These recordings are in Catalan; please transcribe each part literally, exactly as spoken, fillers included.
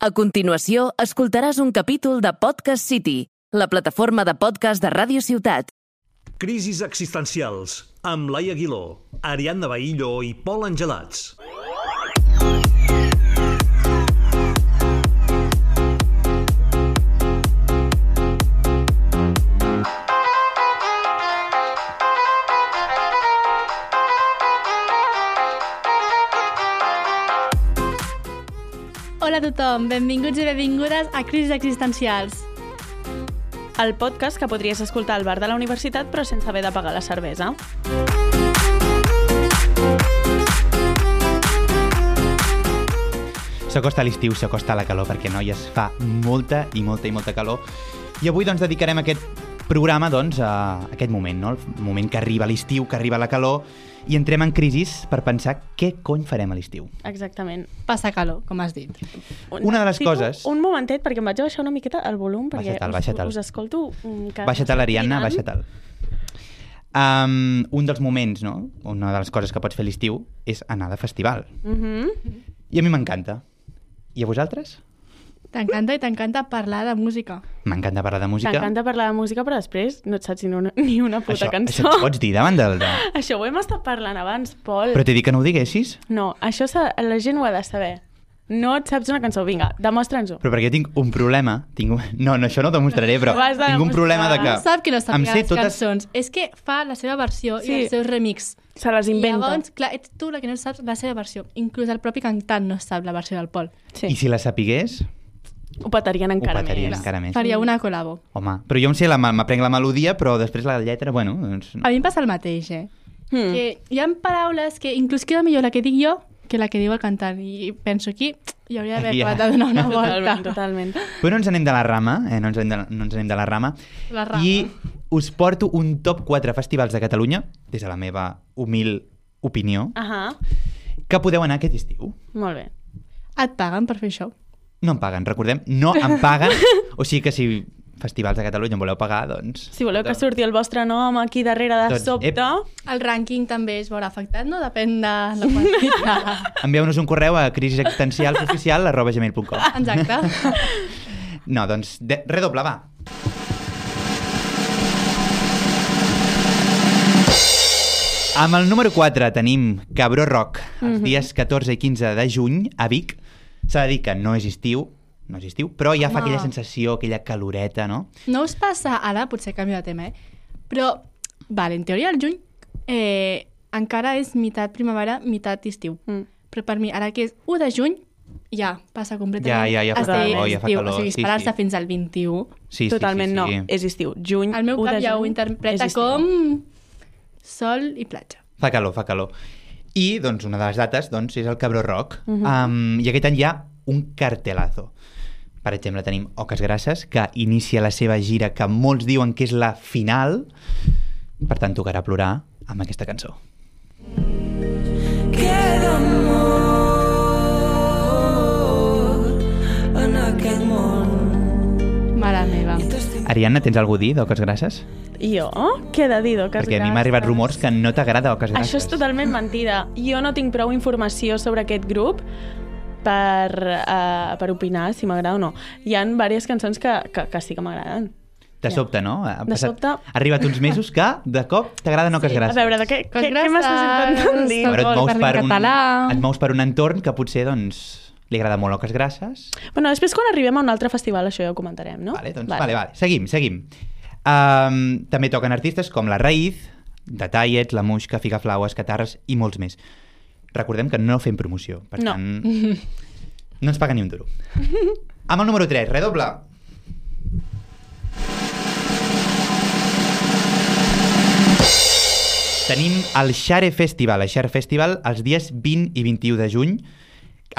A continuació, escoltaràs un capítol de Podcast City, la plataforma de podcast de Ràdio Ciutat. Crisis existencials, amb Laia Aguiló, Ariadna Bahillo i Pol Angelats. Hola a tothom, benvinguts i benvingudes a Crisis Existencials. El podcast que podries escoltar al bar de la universitat però sense haver de pagar la cervesa. S'acosta l'estiu, s'acosta la calor, perquè noies fa molta i molta i molta calor. I avui doncs dedicarem aquest programa doncs, a aquest moment, no? El moment que arriba l'estiu, que arriba la calor, i entrem en crisis per pensar què cony farem a l'estiu. Exactament. Passa calor, com has dit. Una de les Tipo, coses... Un momentet, perquè em vaig baixar una miqueta el volum, perquè Baixa-te'l, us, baixa-te'l. us escolto... Que Baixa-te'l, Ariadna, baixa-te'l. Um, un dels moments, no? Una de les coses que pots fer a l'estiu és anar de festival. Mm-hmm. I a mi m'encanta. I a vosaltres? T'encanta i t'encanta parlar de música. M'encanta parlar de música. T'encanta parlar de música, però després no et saps ni una, ni una puta Això, cançó. això et pots dir davant del... De... Això ho hem estat parlant abans, Pol. Però t'he dit que no ho diguessis? No, això s'ha- la gent ho ha de saber. No et saps una cançó, vinga, demostra'ns-ho. Però perquè tinc un problema. Tinc un... No, no, això no ho demostraré, però Ho has de tinc un problema de que... No sap que no em sàpiga sé les totes... cançons. És que fa la seva versió Sí. i el seu remix. Se les inventa. I llavors, clar, ets tu la que no saps la seva versió. Inclús el propi cantant no sap la versió del Pol. Sí. I si la sapigués, Ho petarien encara ho petarien més. encara més. Faria una col·labo. Home, però jo em sé, la, m'aprenc la melodia, però després la lletra, bueno... Doncs no. A mi em passa el mateix, eh? Hmm. Que hi ha paraules que inclús queda millor la que dic jo que la que diu el cantant. I penso aquí, hi hauria d'haver Aquí, acabat de donar una volta. Totalment, totalment. Però no ens anem de la rama, eh? no, ens anem de, no ens anem de la rama. La rama. I us porto un top quatre festivals de Catalunya, des de la meva humil opinió, Ahà, que podeu anar aquest estiu. molt bé. Et paguen per fer això? No em paguen, recordem, no em paguen. O sigui que si festivals de Catalunya em voleu pagar, doncs... Si voleu que surti el vostre nom aquí darrere de Doncs, sobte... ep. El rànquing també es veurà afectat, no? Depèn de la quantitat. Envieu-nos un correu a crisisexistencial arroba gmail punt com. Exacte. No, doncs, de, redoble, va. Amb el número quatre tenim Cabró Rock, els dies catorze i quinze de juny a Vic. S'ha de dir que no és estiu, no és estiu, però ja fa Home. aquella sensació, aquella caloreta, no? No us passa, ara potser canvio de tema, eh? Però, vale, en teoria el juny eh, encara és meitat primavera, meitat estiu. Mm. Però per mi, ara que és u de juny, ja passa completament. Ja, ja, ja fa a ser calor, ja fa estiu. calor, O sigui, sí, esperar-se sí. fins al vint-i-u. Sí, Totalment sí, sí, sí. no, és estiu. Juny, El meu u cap de ja ho juny, interpreta és estiu. com sol i platja. Fa calor, fa calor. I, doncs, una de les dates doncs, és el Cabró Rock. Mhm. um, I aquest any hi ha un cartelazo. Per exemple, tenim Oques Grasses, que inicia la seva gira, que molts diuen que és la final. Per tant, tocarà plorar amb aquesta cançó. Queda amor en aquest món. Mare meva. Ariadna, tens alguna a dir d'Oques Grasses? Jo? Què he de dir d'Oques Perquè a mi m'ha arribat rumors que no t'agrada Oques Grasses. Això és totalment mentida. Jo no tinc prou informació sobre aquest grup per, uh, per opinar si m'agrada o no. Hi ha diverses cançons que, que, que sí que m'agraden. De sobte, no? Ha De sobte- Ha arribat uns mesos que, de cop, t'agraden Oques A Grasses. veure, de què, què, Oques què m'estàs intentant Grasses, dir? Però et mous, Parli per en un, català. et mous per un entorn que potser, doncs, li agrada molt Oques Grasses. Bueno, després quan arribem a un altre festival això ja ho comentarem, no? Vale, doncs, vale, vale. Seguim, seguim. Um, també toquen artistes com La Raïz, The Tallets, La Muixca, Figaflaues, Catarres i molts més. Recordem que no fem promoció, per No. tant, no ens paga ni un duro. Amb el número tres, redoble. Tenim el Xare Festival, el Xare Festival, els dies vint i vint-i-u de juny.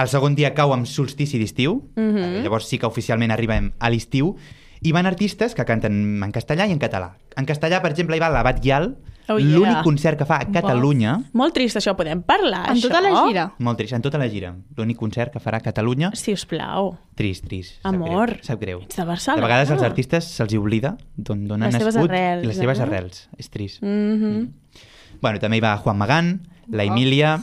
El segon dia cau amb solstici d'estiu, Mhm. llavors sí que oficialment arribem a l'estiu, i van artistes que canten en castellà i en català. En castellà, per exemple, hi va l'Abat Guial, Oh, yeah. l'únic concert que fa a Catalunya, Molt trist això, podem parlar, En això? tota la gira. molt trist, en tota la gira, l'únic concert que farà a Catalunya, Si us plau. trist, trist. sap Amor. greu, Sap greu. Ets de De Barcelona. vegades als artistes se'ls hi oblida d'on d'on han Les seves nascut arrels, i les seves eh? arrels. És trist. Mhm. Bueno, també hi va Juan Magán, la Emília,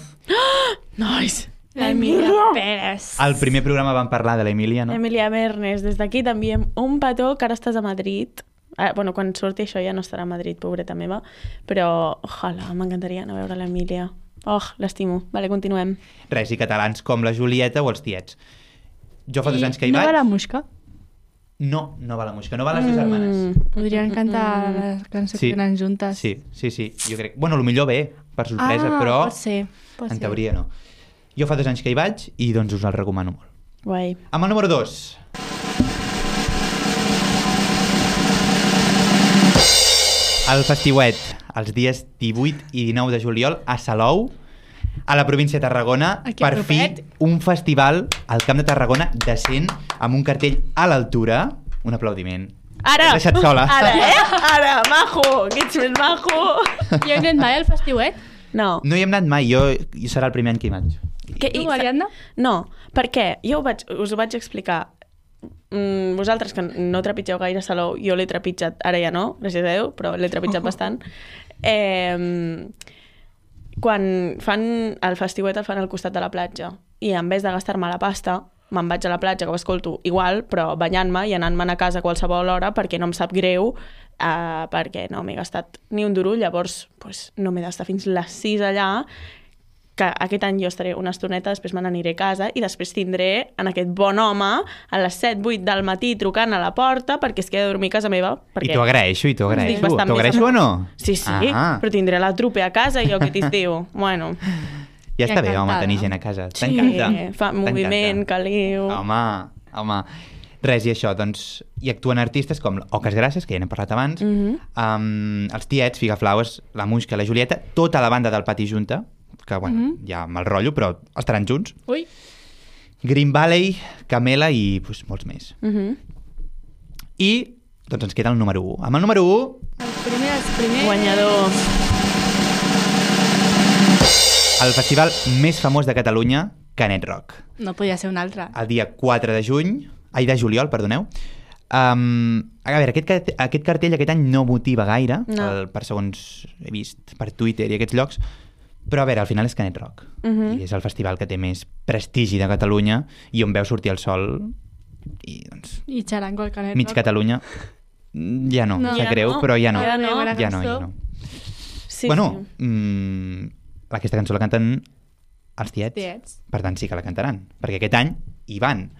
Nice. L'Emília Pérez. Al primer programa vam parlar de l'Emília, no? Emília Mernes, des d'aquí també un petó, que ara estàs a Madrid. Ah, bueno, quan surti això ja no estarà a Madrid, pobreta meva, però ojalà, m'encantaria anar a veure l'Emília. Oh, l'estimo. Vale, continuem. Res, i catalans com la Julieta o els tiets. Jo fa dos anys que hi no vaig... va la Musca? No, no va la música, no va les dues germanes. Podrien cantar la cançó Sí. que tenen juntes. Sí, sí, sí, jo crec... Bueno, potser bé, per sorpresa, ah, però pot ser, pot en ser. teoria no. Jo fa dos anys que hi vaig i doncs us el recomano molt. Guai. Amb el número dos. El Festiuet, els dies divuit i dinou de juliol a Salou, a la província de Tarragona, Aquí per fi propet. un festival al Camp de Tarragona decent, amb un cartell a l'altura. Un aplaudiment. Ara! T'he deixat sola. Ara, eh? Ara, majo! Que ets més majo! Jo he anat mai al Festiuet? No. No hi hem anat mai, jo, jo serà el primer any que hi vaig. Que, Tu, Ariadna? No, per què? Jo ho vaig, us ho vaig explicar. Mm, vosaltres, que no trepitgeu gaire Salou, jo l'he trepitjat, ara ja no, gràcies a Déu, però l'he trepitjat bastant. Eh, quan fan el Festiuet el fan al costat de la platja i en vez de gastar-me la pasta me'n vaig a la platja, que ho escolto igual, però banyant-me i anant-me'n a casa a qualsevol hora perquè no em sap greu, eh, perquè no m'he gastat ni un duro, llavors pues, no m'he d'estar fins les sis allà, que aquest any jo estaré una estoneta, després me n'aniré a casa i després tindré en aquest bon home a les set vuit del matí trucant a la porta perquè es queda a dormir a casa meva. I t'ho agraeixo, i t'ho Estic agraeixo. bastant T'ho més agraeixo a- o no? Sí, sí, Ah, però tindré la trupe a casa i jo aquest estiu. Bueno, ja està bé, home, encantada. tenir gent a casa. sí, T'encanta. fa moviment, caliu. Home, home. Res, i això, doncs, hi actuen artistes com Oques Grasses, que ja n'hem parlat abans, Mhm. um, els Tiets, Figaflaues, la Musca, la Julieta, tota la banda del Pati Junta, que, bueno, Mhm. ja me'l rotllo, però estaran junts. Ui. Green Valley, Camela i pues, molts més. Mhm. I, doncs, ens queda el número u. Amb el número u, El primer, els primers... Guanyador. el festival més famós de Catalunya, Canet Rock. No podia ser un altre. El dia quatre de juny, ai, de juliol, perdoneu. Um, a veure, aquest, cart- aquest cartell aquest any no motiva gaire, No. el, per segons he vist per Twitter i aquests llocs, però a veure, al final és Canet Rock. Mhm. I és el festival que té més prestigi de Catalunya i on veu sortir el sol i, doncs, I xarango al Canet mig Rock. Catalunya mm, ja no, No. no. sap Ja greu, no. però ja no. Ja no. Ja no, ja no. Sí, bueno, sí. mm, aquesta cançó la canten els Tiets. Tiets. Per tant, sí que la cantaran, perquè aquest any hi van,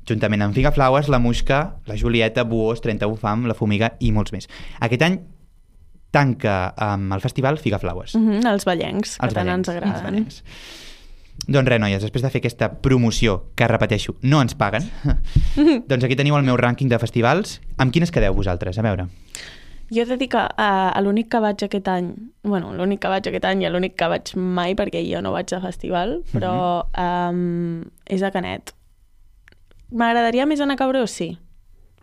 juntament amb Figaflaues, la Musca, la Julieta, Buós, trenta-u Fam, la Fumiga i molts més. Aquest any tanca amb el festival Figaflaues. Mhm, els ballencs, que Els tant ballencs, ens els agraden. ballencs. Doncs res, noies, després de fer aquesta promoció, que repeteixo, no ens paguen, doncs aquí teniu el meu rànquing de festivals. Amb quines quedeu vosaltres? A veure. Jo he de dir que uh, l'únic que vaig aquest any, bueno, l'únic que vaig aquest any i l'únic que vaig mai, perquè jo no vaig a festival, però um, és a Canet. M'agradaria més anar a Cabrós, sí,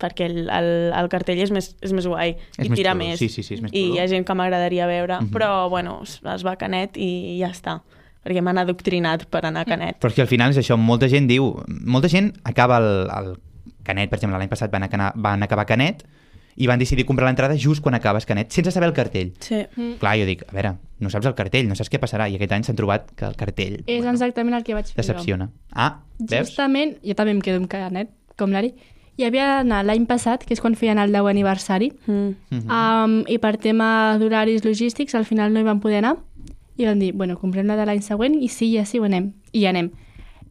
perquè el, el, el cartell és més, és més guai És i més tira xulo, més. sí, sí, sí, és més I xulo. hi ha gent que m'agradaria veure, Mhm. però bueno, es, es va a Canet i ja està, perquè m'han adoctrinat per anar a Canet. Però és que al final és això, molta gent diu... Molta gent acaba el, el Canet, per exemple, l'any passat van, acabar, van acabar Canet i van decidir comprar l'entrada just quan acabes Canet, sense saber el cartell. Sí. Mm. Clar, jo dic, a veure, no saps el cartell, no saps què passarà, i aquest any s'han trobat que el cartell És exactament el que vaig fer decepciona. Ah, jo. veus? Justament, jo també em quedo amb Canet, com l'Ari. Hi havia d'anar l'any passat, que és quan feien el deu aniversari, Mm. Mhm. um, i per tema d'horaris logístics al final no hi vam poder anar, i vam dir, bueno, comprem la de l'any següent i sí, ja sí, ho anem. I hi anem.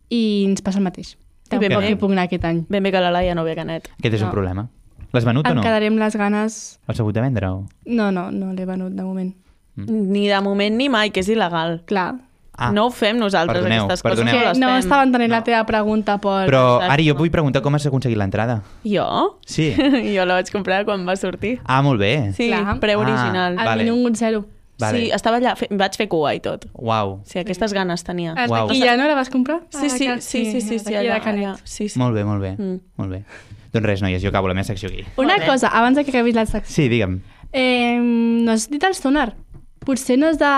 I ens passa el mateix. I ben Tampoc bé. hi puc anar aquest any. Ben bé que la Laia no ve a Canet. Aquest és un No. problema. L'has venut o Em no? quedaré amb les ganes... L'has hagut de vendre o...? No, no, no l'he venut de moment. Ni de moment ni mai, que és il·legal. Clar. Ah, no ho fem nosaltres, perdoneu, aquestes perdoneu. coses. Que No no les fem. estava entenent la teva pregunta per... Però, Exacte. Ari, jo vull preguntar com has aconseguit l'entrada. Jo? Sí. jo la vaig comprar quan va sortir. Ah, molt bé. Sí, Clar. preu Ah. original. Al Vale. minut zero. Vale. Sí, estava allà, fe, vaig fer cua i tot. Uau. Sí, aquestes ganes tenia. Has Uau. I ja no la vas comprar? Sí, sí, Ah, sí, sí, sí, sí, d'aquí allà, de Canet. allà. Sí, sí. Molt bé, molt bé. Mm. Molt bé. Doncs res, noies, jo acabo la meva secció aquí. Una Molt bé. cosa, abans de que acabis la secció. Sí, digue'm. Eh, no has dit el sonar? Potser no és de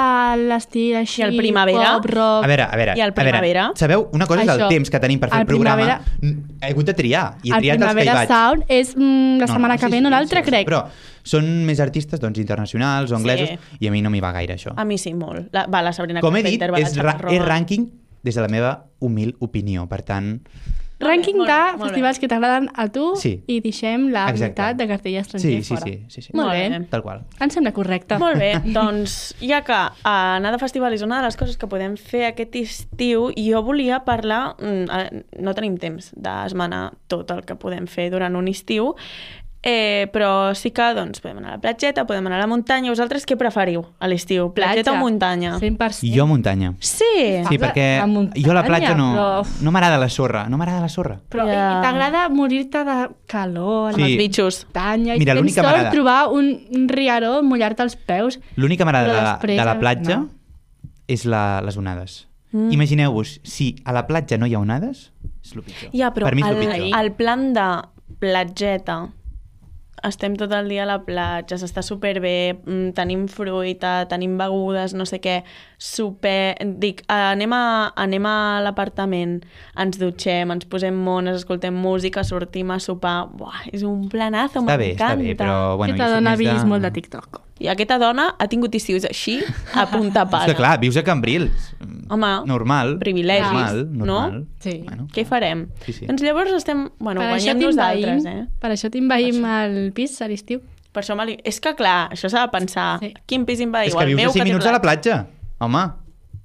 l'estil així... I el primavera? Pop, rock... A veure, a veure, I el a veure, primavera? sabeu? Una cosa és el Això. temps que tenim per fer el, El programa. primavera- Mm, He hagut de triar. I he el triat els que hi Primavera vaig. Sound és mm, la setmana que sí, ve, no sí, l'altra, sí, sí, crec. Però són més artistes doncs, internacionals o anglesos Sí. i a mi no m'hi va gaire això. A mi sí, molt. La, va, la Sabrina Com he dit, Carpenter, va la és, ra Xavi és Roman. rànquing des de la meva humil opinió. Per tant, Rànquing molt de bé, molt bé. festivals que t'agraden a tu Sí. i deixem la Exacte. meitat de cartell estranger sí, sí, fora. sí, sí, sí. Molt Molt bé. bé. Tal qual. Em sembla correcte. Molt bé, doncs ja que uh, anar de festival és una de les coses que podem fer aquest estiu, jo volia parlar, mm, uh, no tenim temps d'esmenar tot el que podem fer durant un estiu, eh, però sí que doncs, podem anar a la platgeta, podem anar a la muntanya. Vosaltres què preferiu a l'estiu? Platgeta o muntanya? cent per cent. Jo muntanya. Sí! Sí, Parla perquè a muntanya, jo a la platja no, però- no m'agrada la sorra, no m'agrada la sorra. Però Ja. i t'agrada morir-te de calor a Sí. la Els bitxos. muntanya i Mira, tens l'únic que sort m'agrada- trobar un, un riaró, mullar-te els peus. L'únic que m'agrada Però de, la- després, de la platja no. és la, les onades. Mm. Imagineu-vos, si a la platja no hi ha onades, és el pitjor. Ja, però per mi és el el, pitjor. el plan de platgeta, estem tot el dia a la platja, s'està superbé, mm, tenim fruita, tenim begudes, no sé què, super... Dic, anem a, anem a l'apartament, ens dutxem, ens posem mones, escoltem música, sortim a sopar... Buah, és un planazo, Està bé, està m'encanta. bé, però bueno, Aquesta jo soc dona ha més vist molt de TikTok. I aquesta dona ha tingut estius així, a punta És pala. que clar, vius a Cambrils. Home, normal. privilegis, normal, no? normal. Sí. Bueno, Què hi farem? Sí, sí. Doncs llavors estem... Bueno, Per això guanyem nosaltres, eh? Per això t'invaïm al pis a l'estiu. Per això me li... És que, clar, això s'ha de pensar. Sí. Quin pis invadiu? és que el vius meu a cinc té minuts a la platja. Home,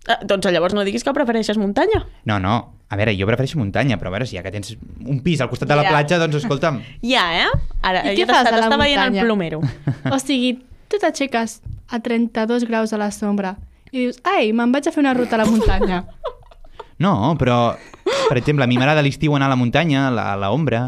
Ah, doncs llavors no diguis que prefereixes muntanya. no, no. A veure, jo prefereixo muntanya, però a veure, si ja que tens un pis al costat de la Ja. platja, doncs escolta'm. Ja, eh? Ara, I què ja fas t'està a la t'està veient el muntanya? plomero. O sigui, tu t'aixeques a trenta-dos graus a la sombra i dius, ai, me'n vaig a fer una ruta a la muntanya. No, però, per exemple, a mi m'agrada a l'estiu anar a la muntanya, a la- a l'ombra,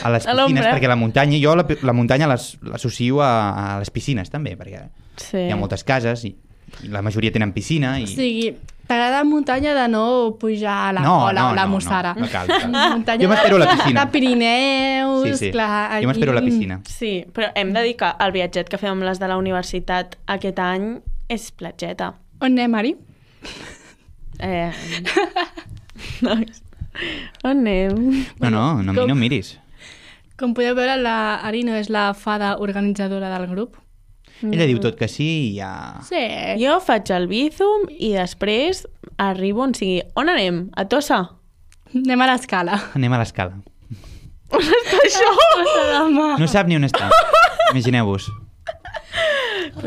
a les A l'ombra. piscines, perquè la muntanya, jo la, la muntanya l'as- l'associo a, a les piscines també, perquè Sí. hi ha moltes cases i, i la majoria tenen piscina i... O sigui, t'agrada muntanya de no pujar a la No, Cola no, o la no, Mussara. no, no cal, cal. Muntanya Jo m'espero a la piscina. De Pirineus, Sí, sí. clar. Aquí... Jo m'espero a la piscina. Sí, però hem de dir que el viatget que fem amb les de la universitat aquest any és platgeta. On anem, Ari? Eh... Nois, on anem? No, no, no, com- no em miris. Com podeu veure, la Ari no és la fada organitzadora del grup. Ella diu tot que sí i ja... Sí. Jo faig el Bizum i després arribo on sigui. On anem? A Tossa? Anem a l'escala. Anem a l'escala. Això! No sap ni on està. Imagineu-vos.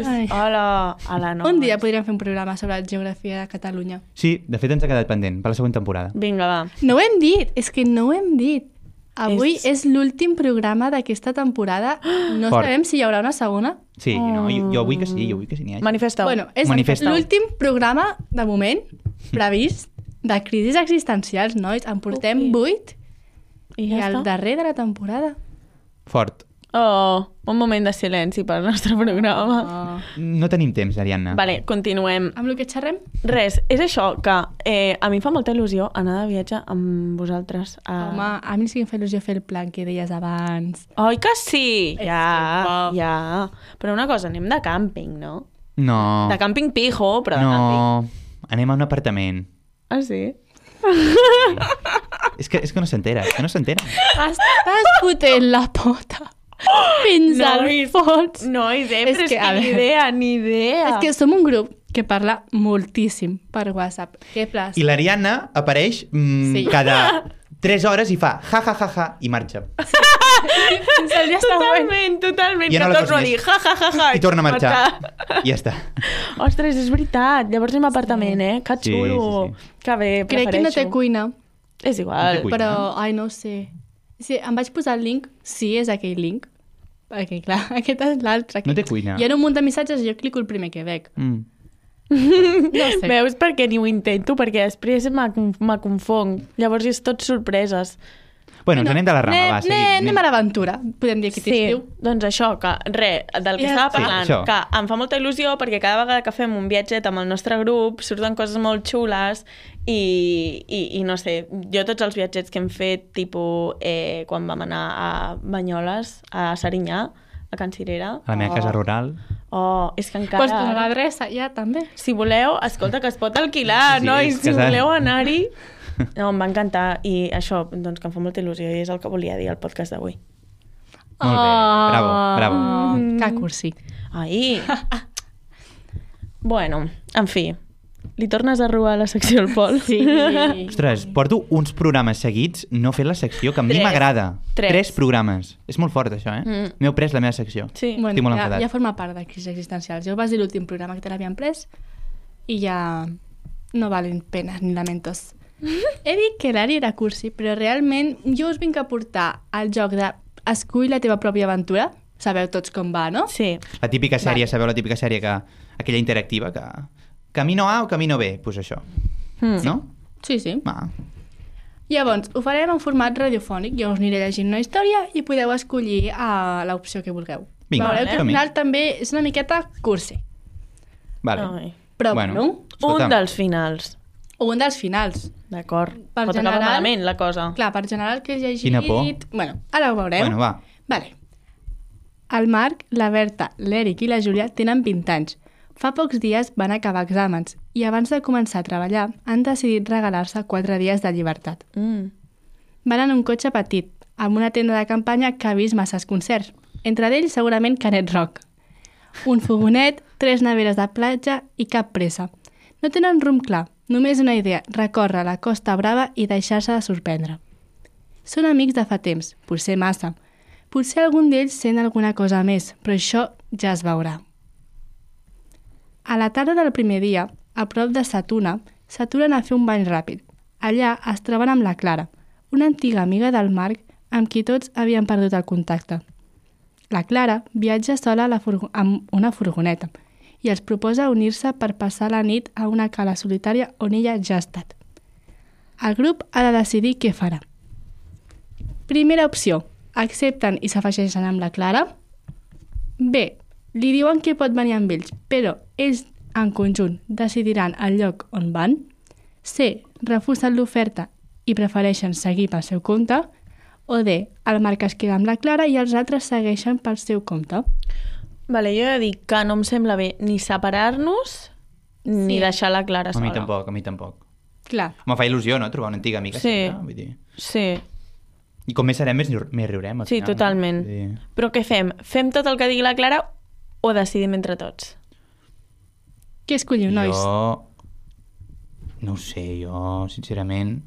Ai. Hola, hola, no. Un dia podríem fer un programa sobre la geografia de Catalunya. Sí, de fet ens ha quedat pendent per la següent temporada. Vinga, va. No ho hem dit, és que no ho hem dit. Avui És- és, és l'últim programa d'aquesta temporada. No Fort. sabem si hi haurà una segona. Sí, no, jo, jo vull que sí, jo vull que sí n'hi hagi. Manifesta-ho. Bueno, és Manifesta-ho. l'últim programa, de moment, previst, de crisis existencials, nois. En portem Ui. vuit I i ja el està. darrer de la temporada. Fort. Oh, un moment de silenci pel nostre programa. Oh. No tenim temps, Ariadna. Vale, continuem. Amb el que xerrem? Res, és això que eh, a mi em fa molta il·lusió anar de viatge amb vosaltres. A... Home, a mi sí que em fa il·lusió fer el plan que deies abans. Oi que sí? És Ja, que bo. ja. Però una cosa, anem de càmping, no? No, De càmping pijo, però de càmping. no. Anem a un apartament. Ah, sí? És que, és que no s'entera, és que no s'entera. Estàs fotent la pota fins al Nois, fons. Nois, eh? És Però és que, que, a ni veure. idea, ni idea. És que som un grup que parla moltíssim per WhatsApp. Què plas? I l'Ariadna apareix mm, Sí. cada tres hores i fa ja, ja, ja, ja, i marxa. Fins al dia següent. Totalment, totalment. Ja que no la torno a fas dir més. ja, ja, ja, ja. I torna a marxar. I ja està. Ostres, és veritat. Llavors anem a apartament, eh? Que Sí, xulo. sí, Que bé, Crec que no té prefereixo. cuina, És igual. No té cuina. però, ai, no ho sé. Sí, em vaig posar el link, sí, és aquell link, perquè, clar, aquest és l'altre. No té cuina. Hi ha un munt de missatges i jo clico el primer que veig. Mm. No sé. Veus perquè ni ho intento, perquè després me, me confong. Llavors és tot sorpreses. Bueno, ens anem de la rama, anem, va, seguim. anem, anem a l'aventura, podem dir aquest Sí, estiu. doncs això, que res, del que Ja estava està. parlant, Sí, això. que em fa molta il·lusió perquè cada vegada que fem un viatget amb el nostre grup surten coses molt xules i, i, i no sé, jo tots els viatgets que hem fet, tipus eh, quan vam anar a Banyoles, a Serinyà, a Can Cirera. A la meva casa rural. Oh, és que encara... Pots posar l'adreça ja, també. Si voleu, escolta, que es pot alquilar, Sí, nois, és que si s'ha- voleu anar-hi... No, em va encantar i això, doncs que em fa molta il·lusió i és el que volia dir al podcast d'avui. Molt bé, bravo, bravo. Oh, que cursi. Ai! Bueno, en fi, Li tornes a robar la secció al Pol? Sí. Ostres, porto uns programes seguits no fent la secció, que a mi Tres. m'agrada. Tres. Tres programes. És molt fort, això, eh? Mm. M'heu pres la meva secció. Sí. Bueno, Estic molt ja, enfadat. ja forma part de crisis existencials. Ja ho vas dir l'últim programa que te l'havien pres i ja no valen penes ni lamentos. He dit que l'Ari era cursi, però realment jo us vinc a portar al joc de escull la teva pròpia aventura. Sabeu tots com va, no? Sí. La típica sèrie, Vale. sabeu la típica sèrie que... Aquella interactiva que... Camino A o camino B? Doncs pues això. Mm. No? Sí, sí. Va. Llavors, ho farem en format radiofònic. Jo us aniré llegint una història i podeu escollir uh, l'opció que vulgueu. Vinga, Veureu que al som-hi. final també és una miqueta cursi. Vale. Ai. Però Bueno. bueno, Escolta. Un dels finals. un dels finals. D'acord. Per Pot acabar general- malament, la cosa. Clar, per general que he llegit... Quina por. Bueno, ara ho veurem. Bueno, va. Vale. El Marc, la Berta, l'Eric i la Júlia tenen vint anys. Fa pocs dies van acabar exàmens i abans de començar a treballar han decidit regalar-se quatre dies de llibertat. Mm. Van en un cotxe petit, amb una tenda de campanya que ha vist masses concerts. Entre d'ells, segurament Canet Rock. Un fogonet, tres neveres de platja i cap pressa. No tenen rumb clar, només una idea, recórrer la Costa Brava i deixar-se de sorprendre. Són amics de fa temps, potser massa. Potser algun d'ells sent alguna cosa més, però això ja es veurà. A la tarda del primer dia, a prop de Satuna, s'aturen a fer un bany ràpid. Allà es troben amb la Clara, una antiga amiga del Marc amb qui tots havien perdut el contacte. La Clara viatja sola a la furgo- amb una furgoneta i els proposa unir-se per passar la nit a una cala solitària on ella ja ha estat. El grup ha de decidir què farà. Primera opció, accepten i s'afegeixen amb la Clara. B, li diuen que pot venir amb ells, però ells en conjunt decidiran el lloc on van. C, refusen l'oferta i prefereixen seguir pel seu compte. O D, el Marc es queda amb la Clara i els altres segueixen pel seu compte. Vale, jo he de dir que no em sembla bé ni separar-nos ni Sí. deixar la Clara A sola. mi tampoc, a mi tampoc. Clar, Me fa il·lusió, no?, trobar una antiga amiga. Sí. sempre, Vull dir... Sí, I com més serem, més, riu- més riurem. al sí, final, no? totalment. Vull dir... Però què fem? Fem tot el que digui la Clara o decidim entre tots? què escolliu, nois? Jo... No ho sé, jo, sincerament...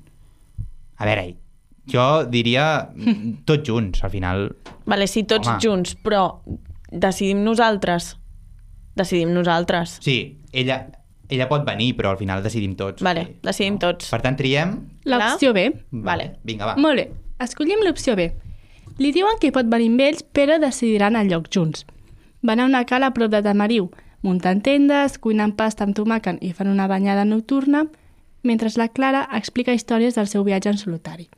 A veure, jo diria tots junts, al final... Vale, sí, tots Home. junts, però decidim nosaltres. Decidim nosaltres. Sí, ella, ella pot venir, però al final decidim tots. Vale, Sí. decidim tots. Per tant, triem... L'opció B. Vale. Vinga, va. Molt bé, escollim l'opció B. Li diuen que pot venir amb ells, però decidiran el lloc junts. Van a una cala a prop de Tamariu, muntant tendes, cuinant pasta amb tomàquet i fan una banyada nocturna, mentre la Clara explica històries del seu viatge en solitari.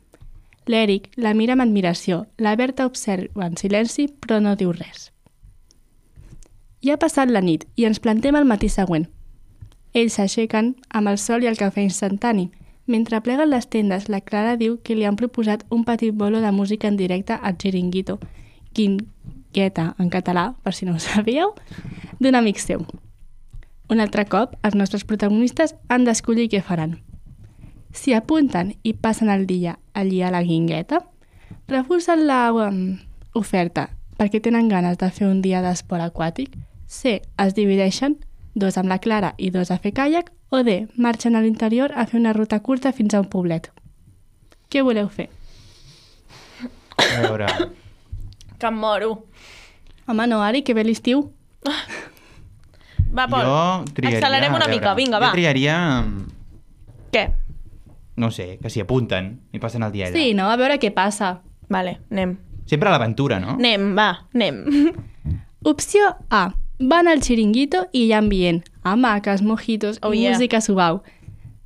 L'Eric la mira amb admiració, la Berta observa en silenci, però no diu res. Ja ha passat la nit i ens plantem al matí següent. Ells s'aixequen amb el sol i el cafè instantani. Mentre pleguen les tendes, la Clara diu que li han proposat un petit bolo de música en directe al Chiringuito, Quinqueta en català, per si no ho sabíeu, d'un amic seu. Un altre cop, els nostres protagonistes han d'escollir què faran. Si apunten i passen el dia allí a la guingueta, refusen l'oferta perquè tenen ganes de fer un dia d'esport aquàtic. C, es divideixen, dos amb la Clara i dos a fer caiac, o D, marxen a l'interior a fer una ruta curta fins a un poblet. Què voleu fer? A veure... Que em moro. Home, no, Ari, que ve l'estiu. Va, Pol, Jo triaria... accelerem una a veure, mica, vinga, va. Jo triaria... Què? No sé, que s'hi apunten i passen el dia allà. Sí, no? A veure què passa. Vale, anem. Sempre a l'aventura, no? Anem, va, anem. Opció A. Van al Chiringuito i hi ha ambient. Hamaques, mojitos Oh, i yeah. música suau.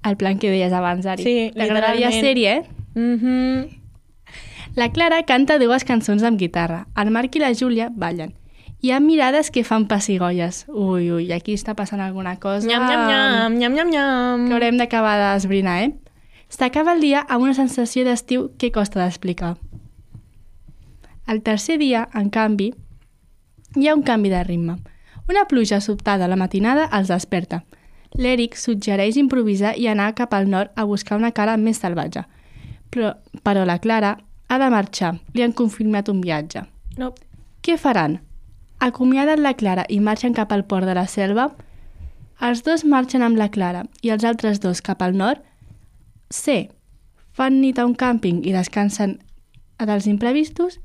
El plan que deies abans, Ari. Sí, T'agradaria literalment. sèrie, eh? Mhm. La Clara canta dues cançons amb guitarra. El Marc i la Júlia ballen. Hi ha mirades que fan pessigolles. Ui, ui, aquí està passant alguna cosa... Nyam, nyam, nyam, nyam, nyam, nyam. Que haurem d'acabar d'esbrinar, eh? S'acaba el dia amb una sensació d'estiu que costa d'explicar. El tercer dia, en canvi, hi ha un canvi de ritme. Una pluja sobtada a la matinada els desperta. L'Eric suggereix improvisar i anar cap al nord a buscar una cala més salvatge. Però, però la Clara ha de marxar. Li han confirmat un viatge. No. Què faran? Acomiaden la Clara i marxen cap al port de la selva? Els dos marxen amb la Clara i els altres dos cap al nord. C. Fan nit a un càmping i descansen dels imprevistos.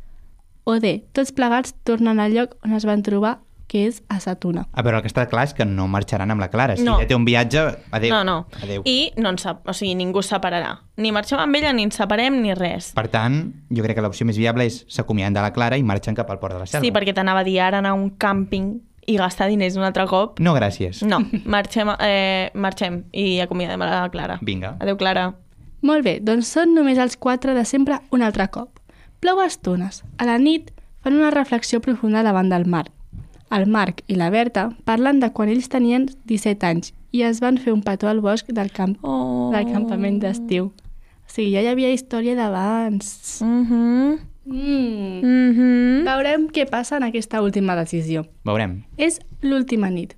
O D. Tots plegats tornen al lloc on es van trobar, que és a Sa Tuna. A veure, el que està clar és que no marxaran amb la Clara. Si No. ella té un viatge, adéu. No, no. Adéu. I no ens, sep- o sigui, ningú es separarà. Ni marxem amb ella, ni ens separem, ni res. Per tant, jo crec que l'opció més viable és s'acomiaden de la Clara i marxen cap al port de la Selva. Sí, perquè t'anava a dir ara anar a un càmping i gastar diners un altre cop. No, gràcies. No, marxem, eh, marxem i acomiadem a la Clara. Vinga. Adéu, Clara. Molt bé, doncs són només els quatre de sempre un altre cop. Plou a estones. A la nit fan una reflexió profunda davant del mar. El Marc i la Berta parlen de quan ells tenien disset anys i es van fer un petó al bosc del, camp Oh. del campament d'estiu. O sigui, ja hi havia història d'abans. Mhm. Mm. Mhm. Veurem què passa en aquesta última decisió. Veurem. És l'última nit.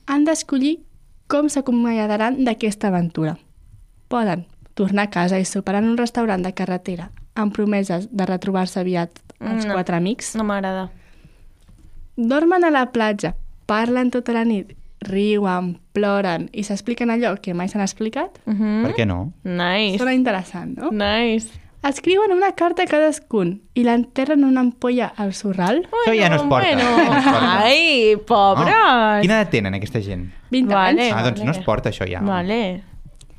Han d'escollir com s'acomiadaran d'aquesta aventura. Poden tornar a casa i sopar en un restaurant de carretera amb promeses de retrobar-se aviat els No. quatre amics. No m'agrada. Dormen a la platja, parlen tota la nit, riuen, ploren i s'expliquen allò que mai s'han explicat. Mhm. Per què no? Nice. Sona interessant, no? Nice. Escriuen una carta a cadascun i l'enterren en una ampolla al sorral. Això ja no es porta. Bueno. No es porta. Ai, pobres. Oh, quina edat tenen aquesta gent? vint Vale. anys. Ah, doncs vale. no es porta això ja. Vale.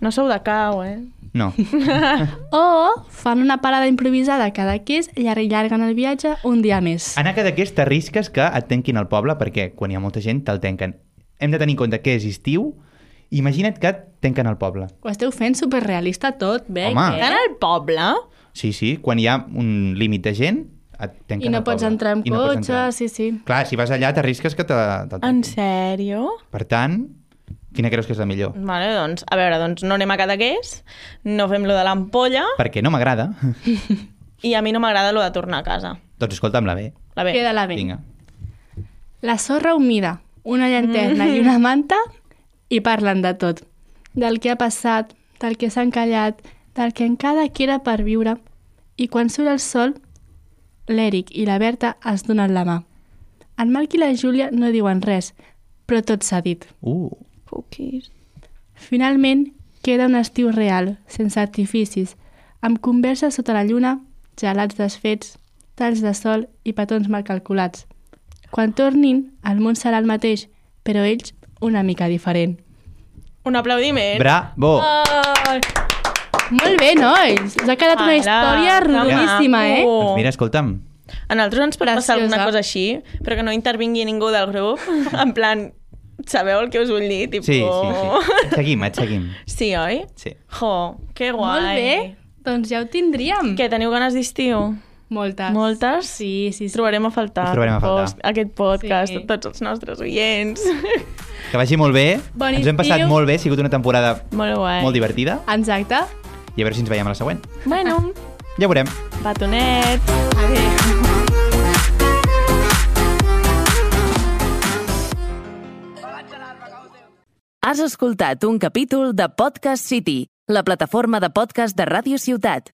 No sou de cau, eh? No. O fan una parada improvisada a Cadaqués i allarguen el viatge un dia més. En Cadaqués t'arrisques que et tanquin el poble perquè quan hi ha molta gent te'l tanquen. Hem de tenir en compte que és estiu. Imagina't que et tanquen el poble. Ho esteu fent superrealista tot, bé? Home. Estan al poble? Sí, sí, quan hi ha un límit de gent et tanquen I no el pots poble. entrar amb I no pots cotxe, entrar. sí, sí. Clar, si vas allà t'arrisques que te, te'l tanquin. En sèrio? Per tant, quina creus que és la millor? Vale, doncs, a veure, doncs no anem a Cadaqués, no fem lo de l'ampolla Perquè no m'agrada. i a mi no m'agrada lo de tornar a casa. Doncs escolta'm la bé. La bé. Queda la bé. Vinga. La sorra humida, una llanterna i una manta i parlen de tot. Del que ha passat, del que s'ha encallat, del que encara queda per viure. I quan surt el sol, l'Eric i la Berta es donen la mà. En Marc i la Júlia no diuen res, però tot s'ha dit. Uh, Cookies. Finalment, queda un estiu real, sense artificis, amb converses sota la lluna, gelats desfets, talls de sol i petons mal calculats. Quan tornin, el món serà el mateix, però ells una mica diferent. Un aplaudiment. bravo! Ai! Molt bé, nois! Us ha quedat una Ara, història que rodoníssima, eh? maco. Doncs mira, escolta'm, A nosaltres ens pot passar Preciosa. alguna cosa així, però que no intervingui ningú del grup. En plan, sabeu el que us vull dir? Tipo... sí, sí, sí. Et seguim, et seguim. Sí, oi? Sí. Jo, que guai. Molt bé, doncs ja ho tindríem. Què, teniu ganes d'estiu? Moltes. Moltes? Sí, sí, sí. Trobarem a faltar. Us trobarem a faltar. Post, aquest podcast, Sí. sí. tots els nostres oients. Que vagi molt bé. Bon Ens ho hem passat estiu. molt bé. Ha sigut una temporada Molt guai. molt divertida. Exacte. I a veure si ens veiem a la següent. Bueno, Ja ho veurem. batonet. Adéu. Has escoltat un capítol de Podcast City, la plataforma de podcast de Ràdio Ciutat.